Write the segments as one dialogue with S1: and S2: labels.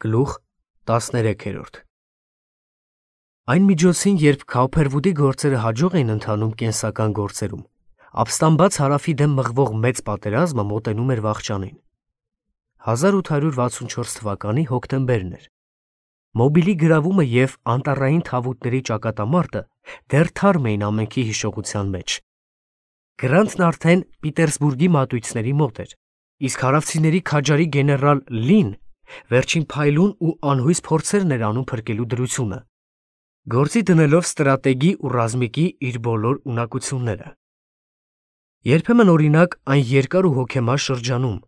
S1: Գլուխ 13 Այն միջոցին, երբ Քաուփերվուդի գործերը հաջող էին ընթանում կենսական գործերում, ապստամբած հարավի դեմ մղվող մեծ պատերազմը մոտենում էր վախճանին։ 1864 թվականի հոկտեմբերն էր։ Մոբիլի գրավումը և անտառային թավուտների ճակատամարտը դեռ թարմ էին ամենքի հիշողության մեջ։ Գրանտն արդեն Պիտերսբուրգի մատույցների մոտ էր, իսկ հարավցիների քաջարի գեներալ Լին վերջին փայլուն ու անհույս փորձերն էր անում փրկելու դրությունը, գործի դնելով ստրատեգի ու ռազմիկի իր բոլոր ունակությունները։ Երբեմն օրինակ այն երկար ու հոգեմար շրջանում,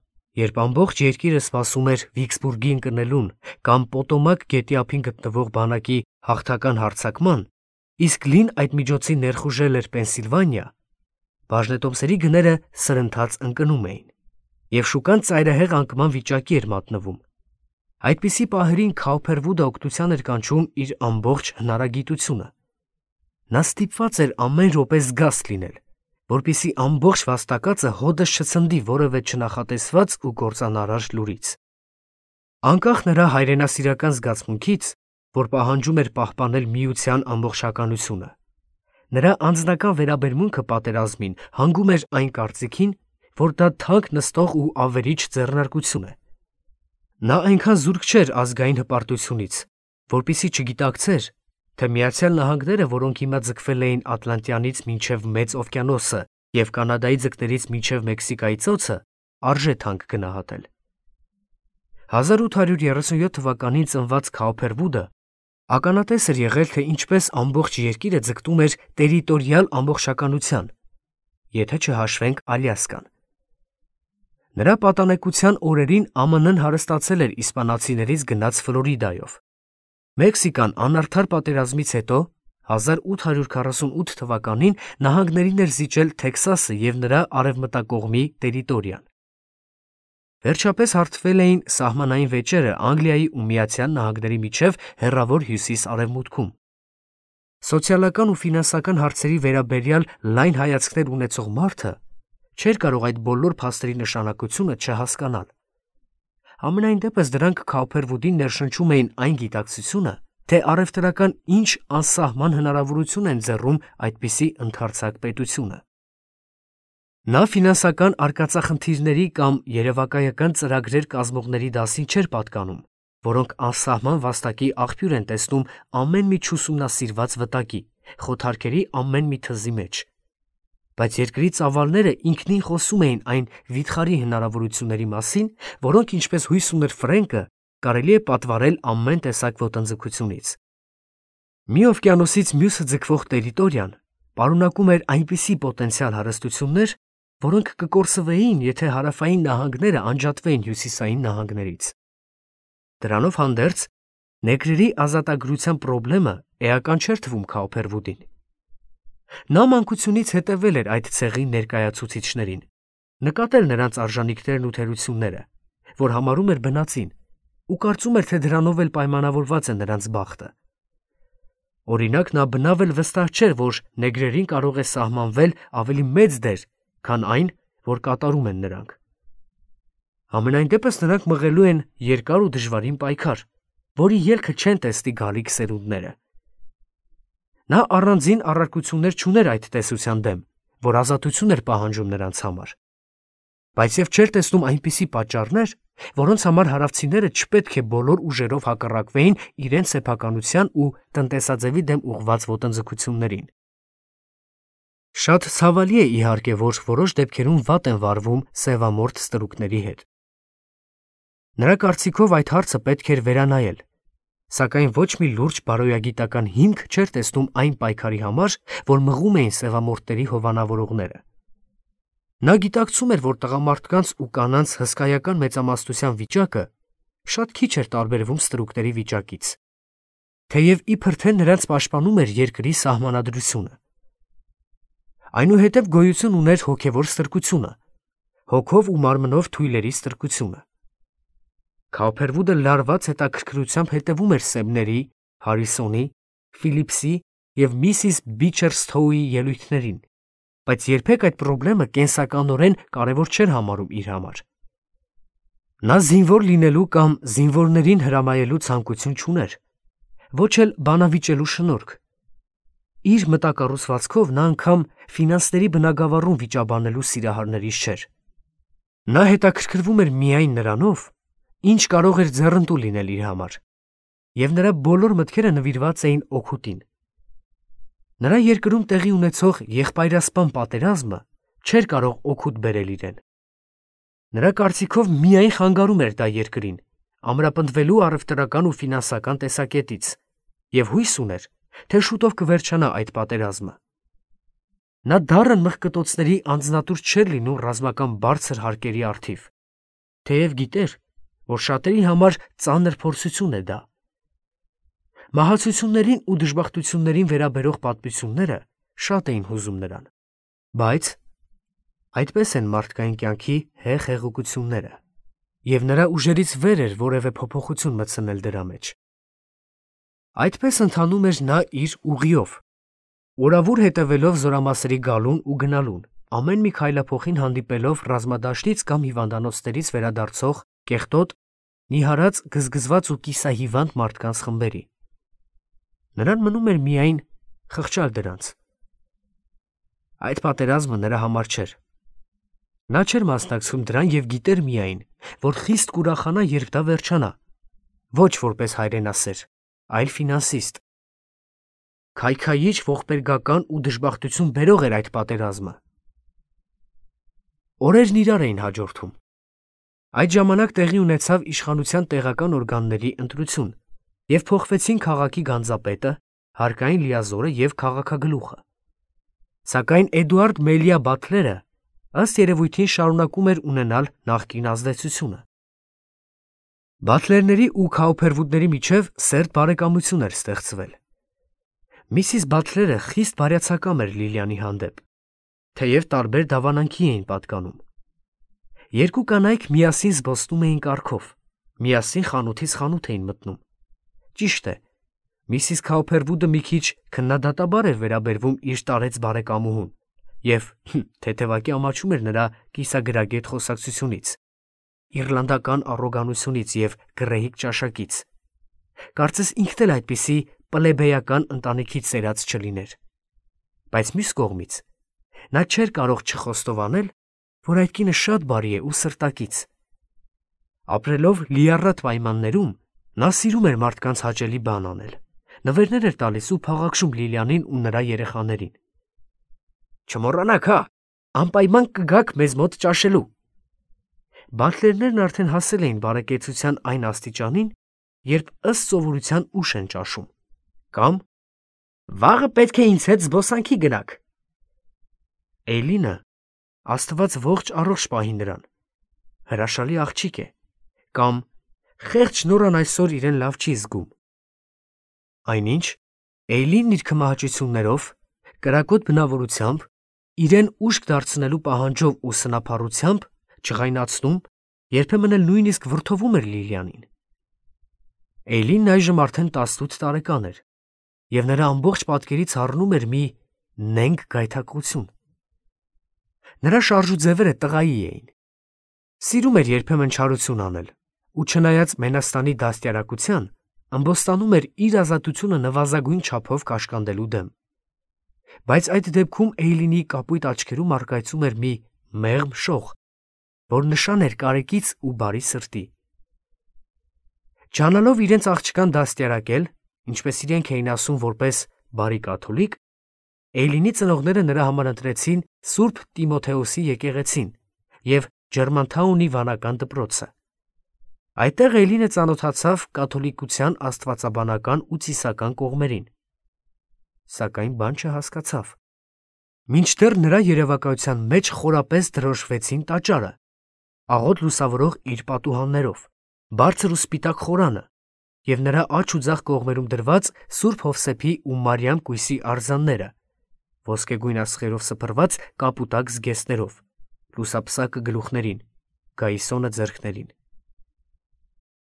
S1: երբ ամբողջ երկիրը սպասում էր Վիքսբուրգի ընկնելուն կամ Պոտոմակ գետի ափին գտնվող բանակի հաղթական հարձակման, իսկ Լին այդ միջոցին ներխուժել էր Պենսիլվանիա, բաժնետոմսերի գները սրընթաց ընկնում էին, և շուկան ծայրահեղ անկման վիճակի էր մատնվում։ Այդպիսի պահերին Քաուփերվուդը օգնության էր կանչում իր ամբողջ հնարագիտությունը։ Նա ստիպված էր ամեն րոպե զգաստ լինել, որպեսզի ամբողջ վաստակածը հոդս չցնդի որևէ չնախատեսված ու կործանարար լուրից։ Անկախ նրա հայրենասիրական զգացմունքից, որ պահանջում էր պահպանել միության ամբողջականությունը, նրա անձնական վերաբերմունքը պատերազմին հանգում էր այն կարծիքին, որ դա թանկ նստող ու ավերիչ ձեռնարկություն է։ Նա այնքան զուրկ չէր ազգային հպարտությունից, որպեսզի չգիտակցեր, թե Միացյալ Նահանգները, որոնք հիմա ձգվել էին Ատլանտյանից մինչև Մեծ օվկիանոսը և Կանադայի ձկներից մինչև Մեքսիկայի ծոցը, արժե թանկ գնահատել։ 1837 թվականին ծնված Քաուփերվուդը ականատես էր եղել, թե ինչպես ամբողջ երկիրը ձգտում էր տերիտորիալ ամբողջականության, եթե չհաշվենք Ալյասկան։ Նրա պատանեկության օրերին ԱՄՆ-ն հարստացել էր իսպանացիներից գնած Ֆլորիդայով։ Մեքսիկան անարդար պատերազմից հետո 1848 թվականին նահանգներին էր զիջել Թեքսասը և նրա արևմտակողմի տերիտորիան։ Վերջապես հարթվել էին սահմանային վեճերը Անգլիայի ու Միացյալ Նահանգների միջև հեռավոր հյուսիս-արևմուտքում։ Սոցիալական ու ֆինանսական հարցերի վերաբերյալ լայն հայացքներ ունեցող մարդը չէր կարող այդ բոլոր փաստերի նշանակությունը չհասկանալ։ Համենայն դեպս դրանք Քաուփերվուդին ներշնչում էին այն գիտակցությունը, թե առևտրական ինչ անսահման հնարավորություն են ձեռում այդպիսի ընդարձակ պետությունը։ Նա ֆինանսական արկածախնդիրների կամ երևակայական ծրագրեր կազմողների դասին չէր պատկանում, որոնք անսահման վաստակի աղբյուր են տեսնում ամեն մի չուսումնասիրված վտակի, խոթարքերի ամեն մի թզի մեջ։ Բայց երկրի ծավալները ինքնին խոսում էին այն վիթխարի հնարավորությունների մասին, որոնք, ինչպես հույս ուներ Ֆրենկը, կարելի է պատվարել ամեն տեսակ ոտնձգությունից։ Մի օվկիանոսից մյուսը ձգվող տերիտորիան պարունակում էր այնպիսի պոտենցիալ հարստություններ, որոնք կկորսվեին, եթե հարավային նահանգները անջատվեին հյուսիսային նահանգներից։ Դրանով հանդերձ, նեգրերի ազատագրության պրոբլեմը էական չէր թվում Քաուփերվուդին։ Նա մանկությունից հետևել էր այդ ցեղի ներկայացուցիչներին, նկատել նրանց արժանինքներն ու թերությունները, որ համարում էր բնածին, ու կարծում էր, թե դրանով էլ պայմանավորված է նրանց բախտը։ Օրինակ, նա բնավ էլ վստահ չէր, որ նեգրերին կարող է սահմանվել ավելի մեծ դեր, քան այն, որ կատարում են նրանք։ Համենայն դեպս նրանք մղելու են երկար ու դժվարին պայքար, որի ելքը չեն տեսնի գալիք սերունդները։ Նա առանձին առարկություններ չուներ այդ տեսության դեմ, որ ազատություն էր պահանջում նրանց համար, բայց և չէր տեսնում այնպիսի պատճառներ, որոնց համար հարավցիները չպետք է բոլոր ուժերով հակառակվեին իրենց սեփականության ու տնտեսաձևի դեմ ուղղված ոտնձգություններին։ Շատ ցավալի է, իհարկե, որ որոշ դեպքերում վատ են վարվում սևամորթ ստրուկների հետ։ Նրա կարծիքով այդ հարցը պետք էր վերանայել, սակայն ոչ մի լուրջ բարոյագիտական հիմք չէր տեսնում այն պայքարի համար, որ մղում էին սևամորթների հովանավորողները։ Նա գիտակցում էր, որ տղամարդկանց ու կանանց հսկայական մեծամասնության վիճակը շատ քիչ էր տարբերվում ստրուկների վիճակից, թեև իբր թե նրանց պաշտպանում էր երկրի սահմանադրությունը։ Այնուհետև գոյություն ուներ հոգևոր ստրկությունը, հոգով ու մարմնով թույլերի ստրկությունը։ Քաուփերվուդը լարված հետաքրքրությամբ հետևում էր Սեմների, Հարիսոնի, Ֆիլիպսի և Միսիս Բիչերսթոուի ելույթներին, բայց երբեք այդ պրոբլեմը կենսականորեն կարևոր չէր համարում իր համար։ Նա զինվոր լինելու կամ զինվորներին հրամայելու ցանկություն չուներ, ոչ էլ բանավիճելու շնորհք։ Իր մտակառուցվածքով նա անգամ ֆինանսների բնագավառում վիճաբանելու սիրահարներից չէր։ Նա հետաքրքրվում էր միայն նրանով, ինչ կարող էր ձեռնտու լինել իր համար, և նրա բոլոր մտքերը նվիրված էին օգուտին։ Նրա երկրում տեղի ունեցող եղբայրասպան պատերազմը չէր կարող օգուտ բերել իրեն։ Նրա կարծիքով միայն խանգարում էր դա երկրին, ամրապնդվելու առևտրական ու ֆինանսական տեսակետից, և հույս ուներ, թե շուտով կվերջանա այդ պատերազմը։ Նա դառն մղկտոցների անձնատուր չէր լինում ռազմական բարձր հարկերի առթիվ, թեև գիտեր, որ շատերի համար ծանր փորձություն է դա։ Մահացություններին ու դժբախտություններին վերաբերող պատմությունները շատ էին հուզում նրան, բայց այդպես են մարդկային կյանքի հեղեղությունները, և նրա ուժերից վեր էր որևէ փոփոխություն մտցնել դրա մեջ։ Այդպես ընթանում էր նա իր ուղիով, օրավուր հետևելով զորամասերի գալուն ու գնալուն, ամեն մի քայլափոխին հանդիպելով ռազմադաշտից կամ հիվանդանոցներից վերադարձող կեղտոտ, նիհարած, գզգզված ու կիսահիվանդ մարդկանց խմբերի։ Նրան մնում էր միայն խղճալ դրանց։ Այդ պատերազմը նրա համար չէր։ Նա չէր մասնակցում դրան և գիտեր միայն, որ խիստ կուրախանա, երբ դա վերջանա, ոչ որպես հայրենասեր, այլ ֆինանսիստ։ Քայքայիչ ողբերգական ու դժբախտություն բերող էր այդ պատերազմը։ Օրերն իրար էին հաջորդում։ Այդ ժամանակ տեղի ունեցավ իշխանության տեղական օրգանների ընտրություն, և փոխվեցին քաղաքի գանձապետը, հարկային լիազորը և քաղաքագլուխը։ Սակայն Էդուարդ Մելիա Բաթլերը ըստ երևույթին շարունակում էր ունենալ նախկին ազդեցությունը։ Բաթլերների ու Քաուփերվուդների միջև սերտ բարեկամություն էր ստեղծվել։ Միսիս Բաթլերը խիստ բարյացակամ էր Լիլիանի հանդեպ, թեև տարբեր դավանանքի էին պատկանում։ Երկու կանայք միասին զբոսնում էին կառքով, միասին խանութից խանութ էին մտնում։ Ճիշտ է, Միսիս Քաուփերվուդը մի քիչ քննադատաբար էր վերաբերվում իր տարեց բարեկամուհուն և թեթևակի ամաչում էր նրա կիսագրագետ խոսակցությունից, իռլանդական առոգանությունից և գռեհիկ ճաշակից։ Կարծես ինքն էլ այդպիսի պլեբեյական ընտանիքից սերած չլիներ։ Բայց մյուս կողմից, նա չէր կարող չխոստովանել, որ այդ կինը շատ բարի է ու սրտակից։ Ապրելով լիառատ պայմաններում, նա սիրում էր մարդկանց հաճելի բան անել, նվերներ էր տալիս ու փաղաքշում Լիլիանին ու նրա երեխաներին։ Չմոռանաք, հա, անպայման կգաք մեզ մոտ ճաշելու։ Բաթլերներն արդեն հասել էին բարեկեցության այն աստիճանին, երբ ըստ սովորության ուշ են ճաշում, կամ վաղը պետք է ինձ հետ զբոսանքի գնաք։ Էյլինը, Աստված ողջ առողջ պահի նրան, հրաշալի աղջիկ է, կամ խեղճ Նորան այսօր իրեն լավ չի զգում։ Այնինչ, Էյլինն իր քմահաճություններով, կրակոտ բնավորությամբ, իրեն ուշք դարձնելու պահանջով ու սնափառությամբ չղայնացնում, երբեմն էլ նույնիսկ վրդովում էր Լիլիանին։ Էյլինն այժմ արդեն 18 տարեկան էր, և նրա ամբողջ պատկերից հառնում էր մի նենգ գայթակղություն։ Նրա շարժուձևերը տղայի էին։ Սիրում էր երբեմն չարություն անել, ու չնայած Մենաստանի դաստիարակության, ըմբոստանում էր իր ազատությունը նվազագույն չափով կաշկանդելու դեմ։ Բայց այդ դեպքում Էյլինի կապույտ աչքերում առկայծում էր մի մեղմ շող, որ նշան էր կարեկից ու բարի սրտի։ Ջանալով իրենց աղջկան դաստիարակել, ինչպես իրենք էին ասում որպես բարի կաթոլիկ, Էյլինի ծնողները նրա համար ընտրեցին Սուրբ Տիմոթեոսի եկեղեցին և Ջերմանթաունի վանական դպրոցը։ Այդտեղ Էյլինը ծանոթացավ կաթոլիկության աստվածաբանական ու ծիսական կողմերին։ Սակայն բան չհասկացավ։ Մինչդեռ նրա երևակայության մեջ խորապես դրոշվեցին տաճարը, աղոտ լուսավորող իր պատուհաններով, բարձր ու սպիտակ խորանը և նրա աջ ու ձախ կողմերում դրված Սուրբ Հովսեփի ու Մարիամ կույսի արձանները, ոսկեգույն աստղերով սփռված կապուտակ զգեստներով, լուսապսակը գլուխներին, գայիսոնը ձեռքներին։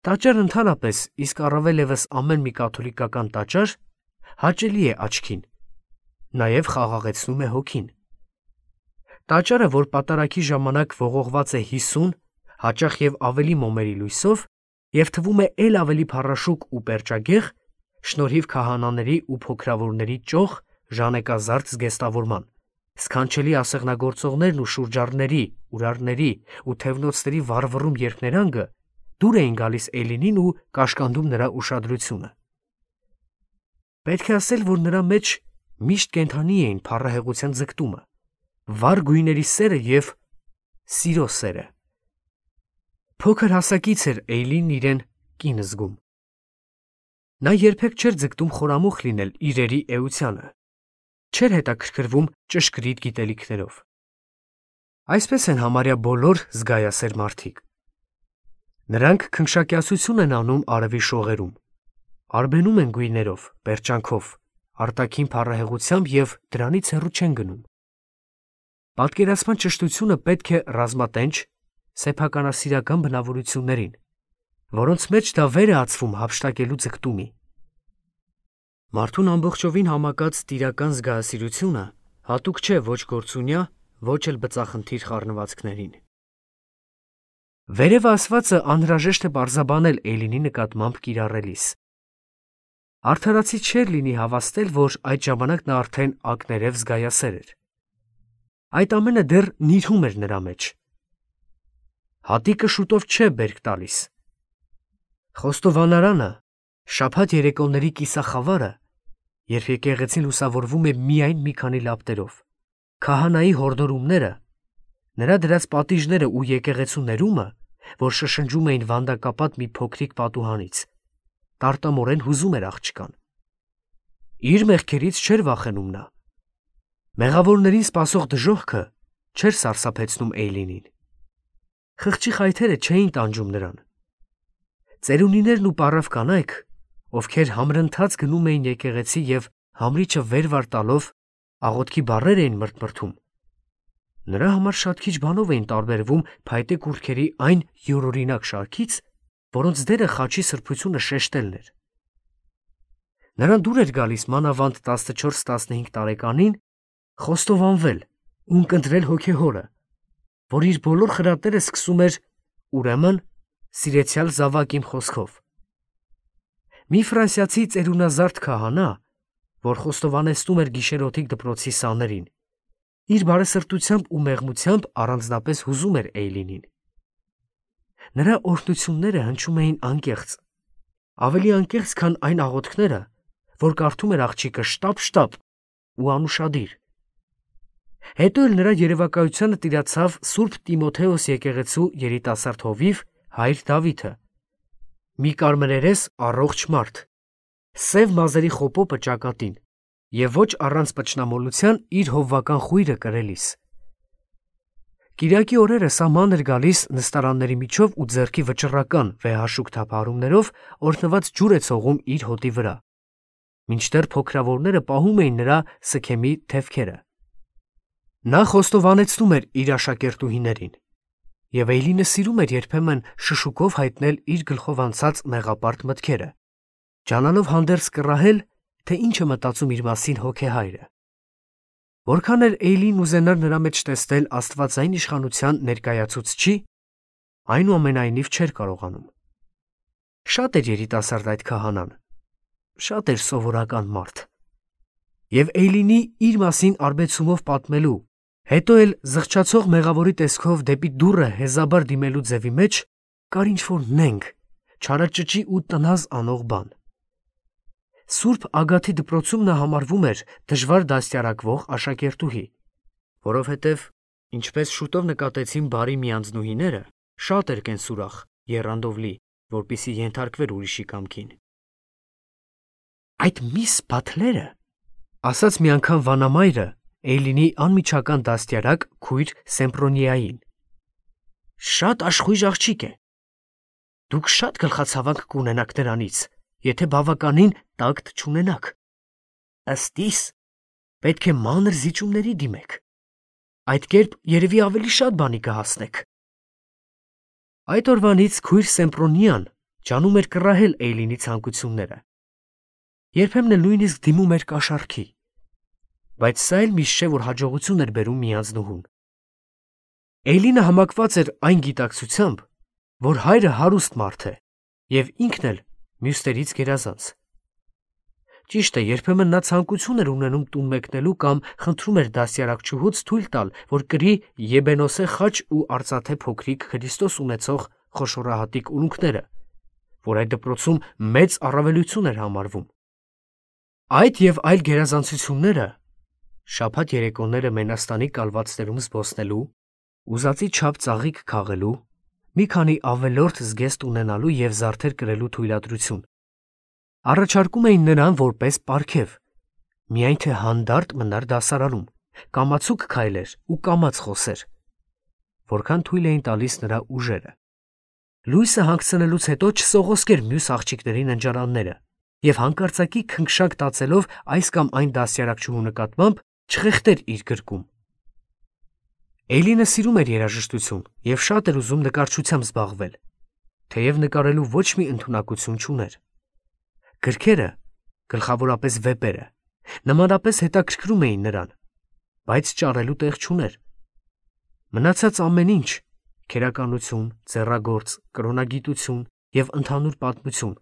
S1: Տաճարը ընդհանրապես, իսկ առավել ևս ամեն մի կաթոլիկական տաճար, հաճելի է աչքին, նաև խաղաղեցնում է հոգին։ Տաճարը, որ պատարագի ժամանակ ողողված է 50, հաճախ եւ ավելի մոմերի լույսով եւ թվում է ել ավելի փառաշուկ ու պերճագեղ, շնորհիվ քահանաների ու փոքրավորների ճոխ ժանեկազարդ զգեստավորման, սքանչելի ասեղնագործողներն ու շուրջառների, ուրարների ու թևնոցների վառվռում երկներանգը դուր էին գալիս Էյլինին ու կաշկանդում նրա ուշադրությունը։ Պետք է ասել, որ նրա մեջ միշտ կենթանի էին փառահեղության ձգտումը, վառ գույների սերը եւ սիրո սերը։ Փոքր հասակից էր Էյլինն իրեն կին զգում։ Նա երբեք չէր ձգտում խորամուխ լինել իրերի էությանը, չէր հետաքրքրվում ճշգրիտ գիտելիքներով։ Այսպես են համարյա բոլոր զգայասեր մարդիկ։ Նրանք քնքշակյացություն են անում արևի շողերում, արբենում են գույներով, պերճանքով, արտաքին փառահեղությամբ եւ դրանից հեռու չեն գնում։ Պատկերացման ճշտությունը պետք է ռազմատենչ, սեփականասիրական բնավորություններին, որոնց մեջ դա վեր է ածվում հափշտակելու ձգտումի։ Մարդուն ամբողջովին համակած տիրական զգայասիրությունը հատուկ չէ ոչ գործունյա, ոչ էլ բծախնդիր խառնվածքներին։ Վերև ասվածը անհրաժեշտ է պարզաբանել Էյլինի նկատմամբ կիրառելիս։ Արդարացի չէր լինի հավաստել, որ այդ ժամանակ նա արդեն ակներև զգայասեր էր։ Այդ ամենը դեռ նիրհում էր նրա մեջ։ Հատիկը շուտով չէ բերք տալիս։ Խոստովանարանը, շաբաթ երեկոների կիսախավարը, երբ եկեղեցին լուսավորվում է միայն մի քանի լապտերով, քահանայի հորդորումները, նրա դրած պատիժները ու եկեղեցու ներումը, որ շշնջում էին վանդակապատ մի փոքրիկ պատուհանից, տարտամորեն հուզում էր աղջկան։ Իր մեղքերից չէր վախենում նա։ Մեղավորներին սպասող դժոխքը չէր սարսափեցնում Էյլինին։ Խղճի խայթերը չէին տանջում նրան։ Ծերունիներն ու պառավ կանայք, ովքեր համրընթաց գնում էին եկեղեցի եւ համրիչը վեր վար տալով աղոթքի բառեր էին մրթմրթում, նրա համար շատ քիչ բանով էին տարբերվում փայտե կուռքերի այն յուրօրինակ շարքից, որոնց դերը խաչի սրբությունը շեշտելն էր։ Նրան դուր էր գալիս մանավանդ 14-15 տարեկանին խոստովանվել ու ընկնդրել հոգեհորը, որ իր բոլոր խրատները սկսում էր ուրեմն սիրեցյալ զավակ իմ խոսքով։ Մի ֆրանսիացի ծերունազարդ քահանա, որ խոստովանեցնում էր գիշերօթիկ դպրոցի սաներին, իր բարեսրտությամբ ու մեղմությամբ առանձնապես հուզում էր Էյլինին։ Նրա օրհնությունները հնչում էին անկեղծ, ավելի անկեղծ, քան այն աղոթքները, որ կարդում էր աղջիկը շտապ ու անուշադիր։ Հետո էլ նրա երևակայությանը տիրացավ Սուրբ Տիմոթեոս եկեղեցու երիտասարդ հովիվ հայր Դավիթը, մի կարմրերես առողջ մարդ, սև մազերի խոպոպը ճակատին եւ ոչ առանց պճնամոլության իր հովվական խույրը կրելիս։ Կիրակի օրերը սահման էր գալիս նստարանների միջով ու ձեռքի վճռական վեհաշուկ թափահարումներով օրհնված ջուր է ցողում իր հոտի վրա, մինչդեռ փոքրավորները պահում էին նրա սքեմի թևքերը։ Նա խոստովանեցնում էր իր աշակերտուհիներին, եւ Էյլինը սիրում էր երբեմն շշուկով հայտնել իր գլխով անցած մեղապարտ մտքերը, ջանալով հանդերձ կռահել, թե ինչ է մտածում իր մասին հոգեհայրը։ Որքան էր Էյլին ուզենար նրա մեջ տեսնել աստվածային իշխանության ներկայացուցչի, այնուամենայնիվ չէր կարողանում։ Շատ էր երիտասարդ այդ քահանան, շատ էր սովորական մարդ։ Եվ Էյլինի իր մասին արբեցումով պատմելու, հետո էլ զղջացող մեղավորի տեսքով դեպի դուռը հեզաբար դիմելու ձևի մեջ կար ինչ-որ նենգ, չարաճճի ու տնազ անող բան։ Սուրբ Ագաթի դպրոցում նա համարվում էր դժվար դաստիարակվող աշակերտուհի, որովհետև, ինչպես շուտով նկատեցին բարի միանձնուհիները, շատ էր կենսուրախ, եռանդով լի, որպեսզի ենթարկվեր ուրիշի կամքին։ Այդ միս Բաթլերը, ասաց մի անգամ վանամայրը Էյլինի անմիջական դաստիարակ քույր Սեմպրոնիային, շատ աշխույժ աղջիկ է։ Դուք շատ գլխացավանք կունենաք նրանից, եթե բավականին տակտ չունենաք։ Ըստ իս, պետք է մանր զիջումների դիմեք։ Այդ կերպ երևի ավելի շատ բանի կհասնեք։ Այդ օրվանից քույր Սեմպրոնիան ջանում էր կռահել Էյլինի ցանկությունները։ Երբեմն էլ նույնիսկ դիմում էր կաշառքի, բայց սա էլ միշտ չէ, որ հաջողություն էր բերում միանձնուհուն։ Էյլինը համակված էր այն գիտակցությամբ, որ հայրը հարուստ մարդ է եւ ինքն էլ մյուսներից գերազանց։ Ճիշտ է, երբեմն նա ցանկություն էր ունենում տուն մեկնելու կամ խնդրում էր դասյարակչուհուց թույլ տալ, որ կրի եբենոսե խաչ ու արծաթե փոքրիկ Քրիստոս ունեցող խոշորահատիկ ունունքները, որ այդ դպրոցում մեծ առավելություն էր համարվում։ Այդ եւ այլ գերազանցությունները, շաբաթ երեկոները Մենաստանի կալվածներում զբոսնելու, ուզածի չափ ծաղիկ քաղելու, մի քանի ավելորդ զգեստ ունենալու եւ զարդեր կրելու թույլատրություն, առաջարկում էին նրան որպես պարգև, միայն թե հանդարտ մնար դասարանում, կամացուկ քայլեր ու կամաց խոսեր, որքան թույլ էին տալիս նրա ուժերը։ Լույսը հանգցնելուց հետո չսողոսկեր մյուս աղջիկների ննջարանները եւ հանկարծակի քնքշակ տածելով այս կամ այն դասյարակչուհու նկատմամբ չխեղդեր իր գրկում։ Էյլինը սիրում էր երաժշտություն եւ շատ էր ուզում նկարչությամբ զբաղվել, թեև նկարելու ոչ մի ընդունակություն չուներ։ Գրքերը, գլխավորապես վեպերը, նմանապես հետաքրքրում էին նրան, բայց ճարելու տեղ չուներ։ Մնացած ամեն ինչ, քերականություն, ձեռագործ, կրոնագիտություն եւ ընդհանուր պատմություն,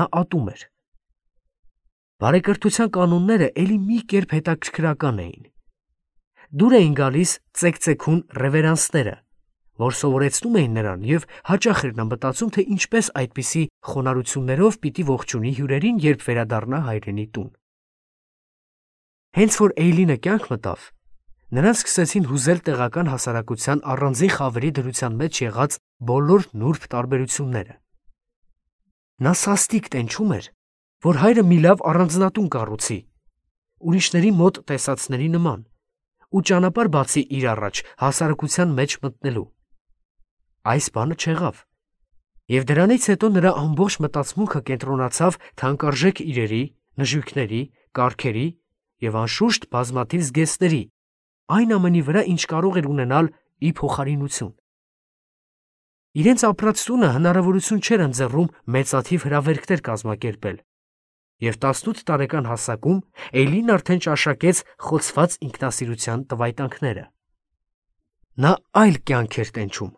S1: նա ատում էր։ Բարեկրթության կանոնները էլի մի կերպ հետաքրքրական էին։ Դուր էին գալիս ծեքծեքուն ռևերանսները, որ սովորեցնում էին նրան եւ հաճախ էր նա մտածում, թե ինչպես այդպիսի խոնարհություններով պիտի ողջունի հյուրերին, երբ վերադառնա հայրենի տուն։ Հենց որ Էյլինը կյանք մտավ, նրան սկսեցին հուզել տեղական հասարակության առանձին խավերի դրության մեջ եղած բոլոր նուրբ տարբերությունները։ Նա սաստիկ տենչում էր, որ հայրը մի լավ առանձնատուն կառուցի, ուրիշների մոտ տեսածների նման, ու ճանապարհ բացի իր առաջ հասարակության մեջ մտնելու։ Այս բանը չեղավ, եւ դրանից հետո նրա ամբողջ մտածմունքը կենտրոնացավ թանկարժեք իրերի, նժույգների, կարգերի եւ անշուշտ բազմաթիվ զգեստների, այն ամենի վրա, ինչ կարող էր ունենալ ի փոխարինություն։ Իրենց ապրած տունը հնարավորություն չէր ընձեռում մեծաթիվ հրավերքներ կազմակերպել, եւ 18 տարեկան հասակում Էյլին արդեն ճաշակեց խոցված ինքնասիրության տվայտանքները։ Նա այլ կյանք էր տենչում,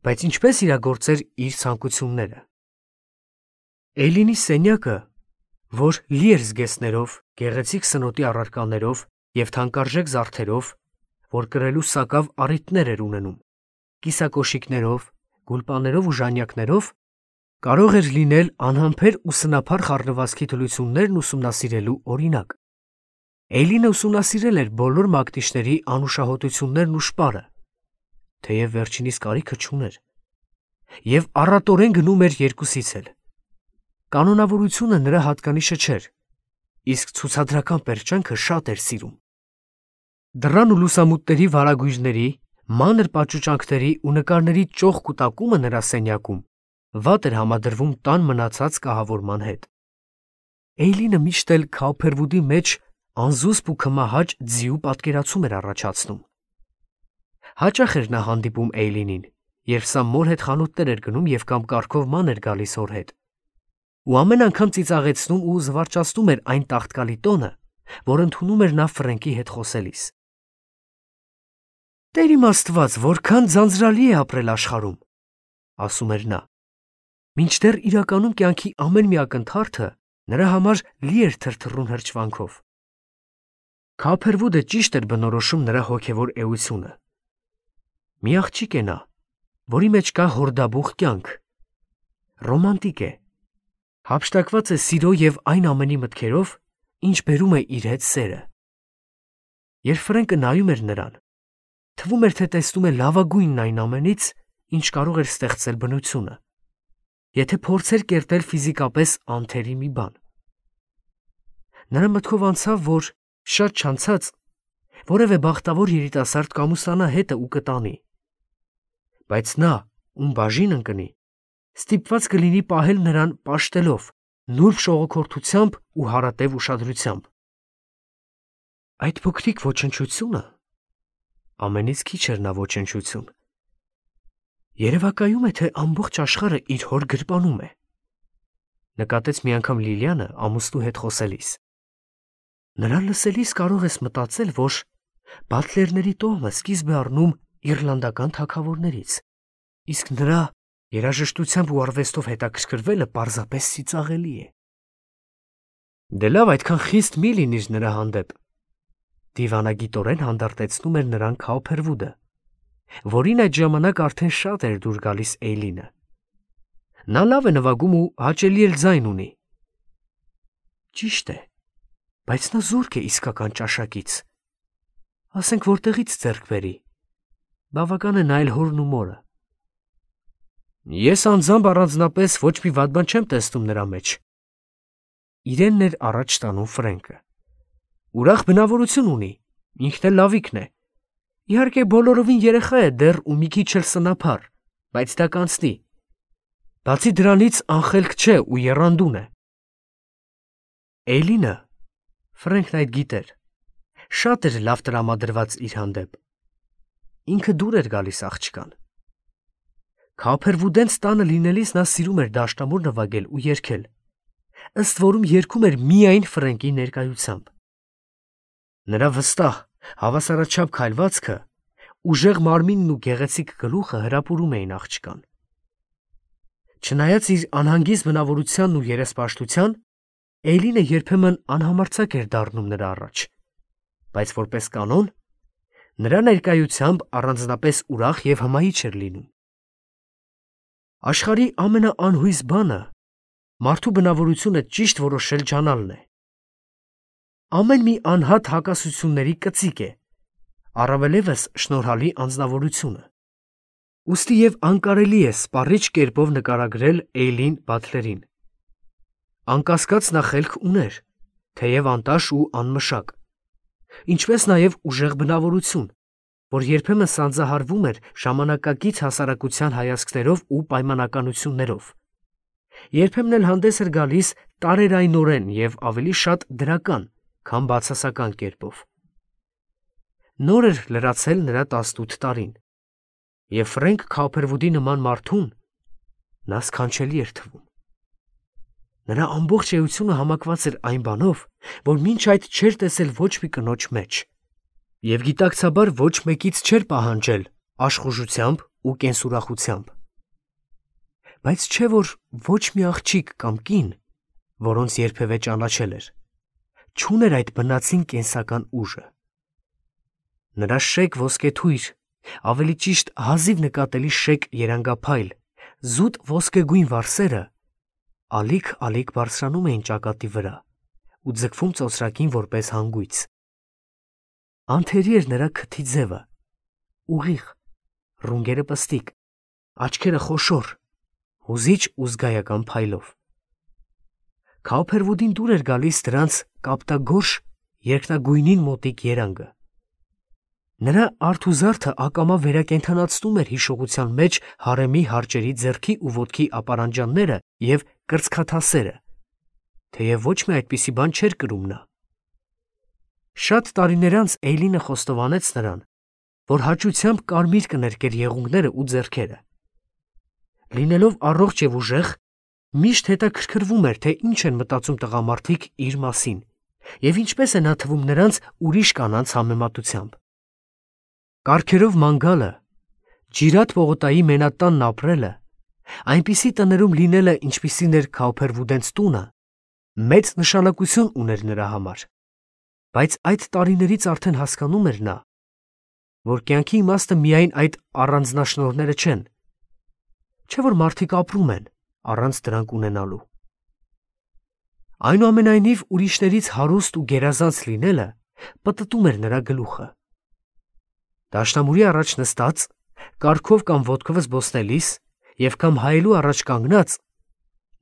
S1: բայց ինչպես իրագործեր իր ցանկությունները։ Էյլինի սենյակը, որ լի էր զգեստներով, գեղեցիկ սնոտի առարկաներով եւ թանկարժեք զարդերով, որ կրելու սակավ առիթներ էր ունենում, կիսակոշիկներով, գուլպաներով ու ժանյակներով, կարող էր լինել անհամբեր ու սնափառ խառնվածքի թուլություններն ուսումնասիրելու օրինակ։ Էյլինը ուսումնասիրել էր բոլոր մակնիշների անուշահոտություններն ու շպարը, թեև վերջինիս կարիքը չուներ, եւ առատորեն գնում էր երկուսից էլ։ Կանոնավորությունը նրա հատկանիշը չէր, իսկ ցուցադրական պերճանքը շատ էր սիրում։ Դռան ու լուսամուտների վարագույրների, մանր պաճուճանքների ու նկարների ճոխ կուտակումը նրա սենյակում վատ էր համադրվում տան մնացած կահավորման հետ։ Էյլինը միշտ էլ Քաուփերվուդի մեջ անզուսպ ու քմահաճ ձիու պատկերացում էր առաջացնում։ Հաճախ էր նա հանդիպում Էյլինին, երբ սա մոր հետ խանութներ էր գնում եւ կամ կարգով ման էր գալիս հոր հետ, ու ամեն անգամ ծիծաղեցնում ու զվարճացնում էր այն տաղտկալի տոնը, որ ընդունում էր նա Ֆրենկի հետ խոսելիս։ «Տեր իմ Աստված, որքան ձանձրալի է ապրել աշխարհում», ասում էր նա, մինչդեռ իրականում կյանքի ամեն մի ակնթարթը նրա համար լի էր թրթռուն հրճվանքով։ Քաուփերվուդը ճիշտ էր բնորոշում նրա հոգևոր էությունը։ Մի աղջիկ է նա, որի մեջ կա հորդաբուխ կյանք, ռոմանտիկ է, հափշտակված է սիրո եւ այն ամենի մտքերով, ինչ բերում է իր հետ սերը։ Երբ Ֆրենկը նայում էր նրան, թվում էր, թե տեսնում է լավագույնն այն ամենից, ինչ կարող էր ստեղծել բնությունը, եթե փորձեր կերտել ֆիզիկապես անթերի մի բան։ Նրա մտքով անցավ, որ շատ չանցած որևէ բախտավոր երիտասարդ կամուսանա հետը ու կտանի, բայց նա, ում բաժին ընկնի, ստիպված կլինի պահել նրան պաշտելով, նուրբ շողոքորթությամբ ու հարատև ուշադրությամբ։ Այդ փոքրիկ ոչնչությունը, ամենից քիչ էր նա ոչնչություն, երևակայում է, թե ամբողջ աշխարհը իր հոր գրպանում է, նկատեց մի անգամ Լիլիանը ամուսնու հետ խոսելիս։ Նրան լսելիս կարող ես մտածել, որ բատլերների տոհմը սկիզբ է առնում իռլանդական թագավորներից։ Իսկ նրա երաժշտությամբ ու արվեստով հետաքրքրվելը պարզապես ծիծաղելի է։ Դե լավ, այդքան խիստ մի լինիր նրա հանդեպ։ Դիվանագիտորեն հանդարտեցնում էր նրան Քաուփերվուդը, որին այդ ժամանակ արդեն շատ էր դուր գալիս Էյլինը։ Նա լավ է նվագում ու հաճելի էլ ձայն ունի։ Ճիշտ է, բայց նա զուրկ է իսկական ճաշակից։ Ասենք որտեղից ձեռք բերի։ Բավական է նայել հորն ու մորը։ Ես անձամբ առանձնապես ոչ մի վատ բան չեմ տեսնում նրա մեջ։ Իրենն էր առաջ տանում Ֆրենկը։ Ուրախ բնավորություն ունի, ինքն էլ լավիկն է։ Իհարկե բոլորովին երեխա է դեռ ու մի քիչ էլ սնափառ, բայց դա կանցնի։ Բացի դրանից անխելք չէ ու եռանդուն է։ Էյլինը, Ֆրենքն այդ գիտեր, շատ էր լավ տրամադրված իր հանդեպ։ Ինքը դուր էր գալիս աղջկան։ Քաուփերվուդենց տանը լինելիս նա սիրում էր դաշնամուր նվագել ու երգել, ըստ որում երգում էր միայն Ֆրենկի ներկայությամբ։ Նրա վստահ, հավասարաչափ քայլվածքը, ուժեղ մարմինն ու գեղեցիկ գլուխը հրապուրում էին աղջկան։ Չնայած իր անհանգիստ բնավորությանն ու երեսպաշտության, Էյլինը երբեմն անհամարձակ էր դառնում նրա առաջ, բայց որպես կանոն, նրա ներկայությամբ առանձնապես ուրախ և հմայիչ էր լինում։ Աշխարհի ամենաանհույս բանը մարդու բնավորությունը ճիշտ որոշել ջանալն է։ Ամեն մի անհատ հակասությունների կծիկ է, առավելևս շնորհալի անձնավորությունը։ Ուստի և անկարելի է սպառիչ կերպով նկարագրել Էյլին Բաթլերին։ Անկասկած նա խելք ուներ, թեև անտաշ ու անմշակ, ինչպես նաև ուժեղ բնավորություն, որ երբեմն սանձահարվում էր ժամանակակից հասարակության հայացքներով ու պայմանականություններով։ Երբեմն էլ հանդես էր գալիս տարերայնորեն և ավելի շատ դրական, քան բացասական կերպով։ Նոր էր լրացել նրա 18 տարին, և Ֆրենկ Քաուփերվուդի նման մարդուն նա սքանչելի էր թվում։ Նրա ամբողջ էությունը համակված էր այն բանով, որ մինչ այդ չէր տեսել ոչ մի կնոջ մեջ, և գիտակցաբար ոչ մեկից չէր պահանջել աշխուժությամբ ու կենսուրախությամբ։ Բայց չէ՞ որ ոչ մի աղջիկ կամ կին, որոնց երբևէ ճանաչել էր, չուներ այդ բնածին կենսական ուժը։ Նրա շեկ ոսկեթույր, ավելի ճիշտ հազիվ նկատելի շեկ երանգափայլ, զուտ ոսկեգույն վարսերը ալիք բարձրանում էին ճակատի վրա ու ձգվում ծոծրակին որպես հանգույց։ Անթերի էր նրա քթի ձևը, ուղիղ, ռունգերը պստիկ, աչքերը խոշոր, հուզիչ ու զգայական փայլով։ Քաուփերվուդին դուր էր գալիս դրանց կապտագորշ երկնագույնին մոտիկ երանգը։ Նրա արթուզարդը ակամա վերակենդանացնում էր հիշողության մեջ հարեմի հարճերի ձեռքի ու ոտքի ապարանջանները և կրծքաթասերը, թեև ոչ մի այդպիսի բան չէր կրում նա։ Շատ տարիներ անց Էյլինը խոստովանեց նրան, որ հաճությամբ կարմիր կներկեր եղունգները ու ձեռքերը։ Լինելով առողջ և ուժեղ, միշտ հետաքրքրվում էր, թե ինչ են մտածում տղամարդիկ իր մասին և ինչպես է նա թվում նրանց ուրիշ կանանց համեմատությամբ։ Կառքերով ման գալը, Ջիրատ պողոտայի մենատանն ապրելը, այնպիսի տներում լինելը, ինչպիսին էր Քաուփերվուդենց տունը, մեծ նշանակություն ուներ նրա համար, բայց այդ տարիներից արդեն հասկանում էր նա, որ կյանքի իմաստը միայն այդ առանձնաշնորհները չեն, չէ՞ որ մարդիկ ապրում են առանց դրանք ունենալու։ Այնուամենայնիվ ուրիշներից հարուստ ու գերազանց լինելը պտտում էր նրա գլուխը։ Դաշնամուրի առաջ նստած, կառքով կամ ոտքով զբոսնելիս և կամ հայելու առաջ կանգնած,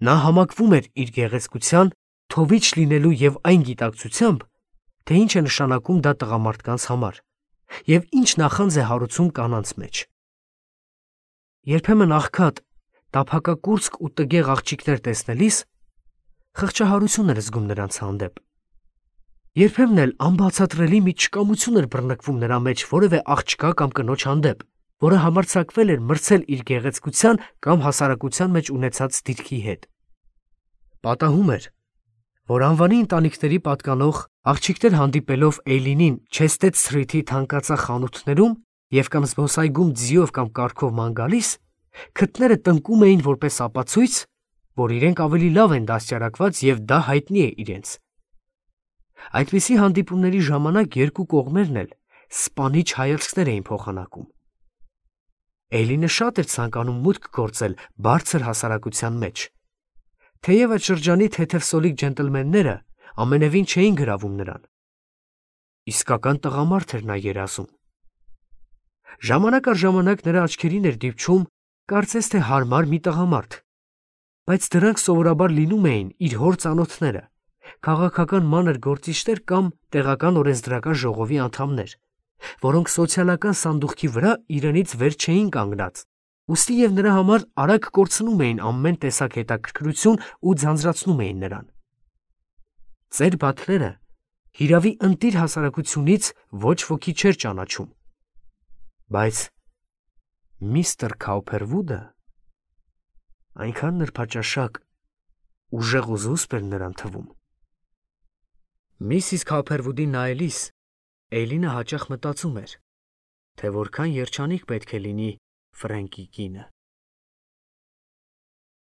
S1: նա համակվում էր իր գեղեցկության, թովիչ լինելու և այն գիտակցությամբ, թե ինչ է նշանակում դա տղամարդկանց համար և ինչ նախանձ է հարուցում կանանց մեջ։ Երբեմն աղքատ, տափակակուրծք ու տգեղ աղջիկներ տեսնելիս խղճահարություն էր զգում նրանց հանդեպ։ Երբեմն էլ անբացատրելի մի չկամություն էր բռնկվում նրա մեջ որևէ աղջկա կամ կնոջ հանդեպ, որը համարձակվել էր մրցել իր գեղեցկության կամ հասարակության մեջ ունեցած դիրքի հետ։ Պատահում էր, որ անվանի ընտանիքների պատկանող աղջիկներ հանդիպելով Էյլինին Չեսթեդ Սթրիթի թանկածախ խանութներում և կամ զբոսայգում ձիով կամ կառքով ման գալիս, Քթները տնկում էին որպես ապացույց, որ իրենք ավելի լավ են դաստիարակված և դա հայտնի է իրենց։ Այդպիսի հանդիպումների ժամանակ երկու կողմերն էլ սպանիչ հայացքներ էին փոխանակում։ Էյլինը շատ էր ցանկանում մուտք գործել բարձր հասարակության մեջ, թեև այդ շրջանի թեթևսոլիկ ջենտլմենները ամենևին չէին գրավում նրան։ Իսկական տղամարդ էր նա երազում։ Ժամանակ առ ժամանակ նրա աչքերին էր դիպչում կարծես թե հարմար մի տղամարդ, բայց դրանք սովորաբար լինում էին իր հոր ծանոթները, քաղաքական մանր գործիչներ կամ տեղական օրենսդրական ժողովի անդամներ, որոնք սոցիալական սանդուղքի վրա իրենից վեր չէին կանգնած, ուստի և նրա համար արագ կորցնում էին ամեն տեսակ հետաքրքրություն ու ձանձրացնում էին նրան։ Ծեր Բաթլերը հիրավի ընտիր հասարակությունից ոչ ոքի չէր ճանաչում, բայց միստր Քաուփերվուդը այնքան նրբաճաշակ, ուժեղ ու զուսպ էր նրան թվում։ Միսիս Քաուփերվուդին նայելիս Էյլինը հաճախ մտածում էր, թե որքան երջանիկ պետք է լինի Ֆրենկի կինը։